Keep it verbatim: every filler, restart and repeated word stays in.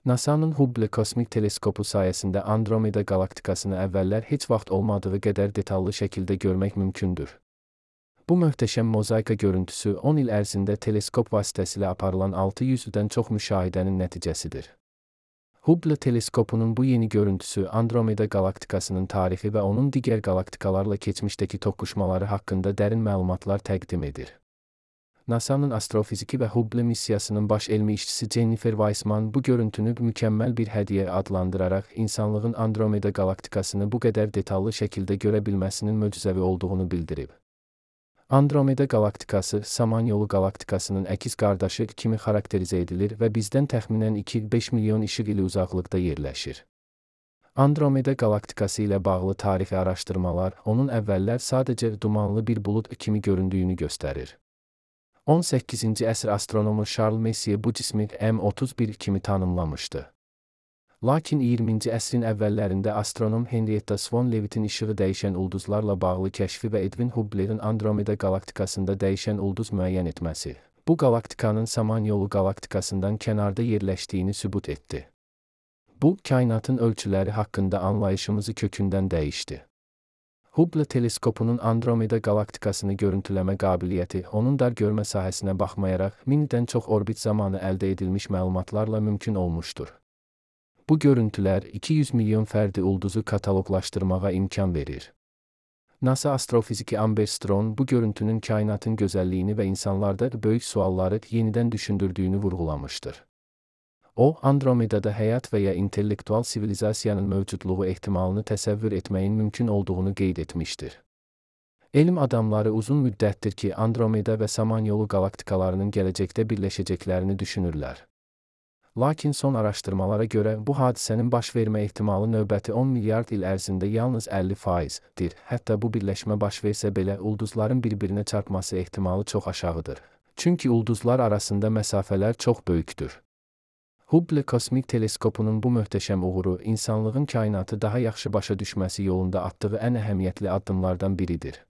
NASA'nın Hubble kosmik teleskopu sayəsində Andromeda galaktikasını əvvəllər heç vaxt olmadığı qədər detallı şəkildə görmək mümkündür. Bu möhtəşəm mozaika görüntüsü on il ərzində teleskop vasitəsilə aparılan altı yüzdən çox müşahidənin nəticəsidir. Hubble teleskopunun bu yeni görüntüsü Andromeda galaktikasının tarixi və onun digər galaktikalarla keçmişdəki toqquşmaları haqqında dərin məlumatlar təqdim edir. NASA'nın astrofiziki və Hubble missiyasının baş elmi işçisi Jennifer Weissman bu görüntünü mükəmməl bir hədiyyə adlandıraraq insanlığın Andromeda galaktikasını bu qədər detallı şəkildə görə bilməsinin möcüzəvi olduğunu bildirib. Andromeda galaktikası Samanyolu galaktikasının əkiz qardaşı kimi xarakterizə edilir və bizdən təxminən iki beş milyon işıq ili uzaqlıqda yerləşir. Andromeda galaktikası ilə bağlı tarixi araşdırmalar onun əvvəllər sadəcə dumanlı bir bulud kimi göründüyünü göstərir. on səkkizinci əsr astronomu Charles Messier bu cismi M otuz bir kimi tanımlamışdı. Lakin iyirminci əsrin əvvəllərində astronom Henrietta Swan Leavitt'in işığı dəyişən ulduzlarla bağlı kəşfi və Edwin Hubble'ın Andromeda galaktikasında dəyişən ulduz müəyyən etməsi, bu galaktikanın Samanyolu galaktikasından kənarda yerləşdiyini sübut etdi. Bu, kainatın ölçüləri haqqında anlayışımızı kökündən dəyişdi. Hubble teleskopunun Andromeda galaktikasını görüntüləmə qabiliyyəti, onun dar görmə sahəsinə baxmayaraq mindən çox orbit zamanı əldə edilmiş məlumatlarla mümkün olmuşdur. Bu görüntülər iki yüz milyon fərdi ulduzu kataloqlaşdırmağa imkan verir. NASA astrofiziki Amber Strong bu görüntünün kainatın gözəlliyini və insanlarda böyük sualları yenidən düşündürdüyünü vurğulamışdır. O, Andromedada həyat və ya intellektual sivilizasiyanın mövcudluğu ehtimalını təsəvvür etməyin mümkün olduğunu qeyd etmişdir. Elm adamları uzun müddətdir ki, Andromeda və Samanyolu galaktikalarının gələcəkdə birləşəcəklərini düşünürlər. Lakin son araşdırmalara görə bu hadisənin baş vermə ehtimalı növbəti on milyard il ərzində yalnız əlli faizdir. Hətta bu birləşmə baş versə belə ulduzların bir-birinə çarpması ehtimalı çox aşağıdır. Çünki ulduzlar arasında məsafələr çox böyükdür. Hubble kosmik teleskopunun bu möhtəşəm uğuru insanlığın kainatı daha yaxşı başa düşməsi yolunda atdığı ən əhəmiyyətli addımlardan biridir.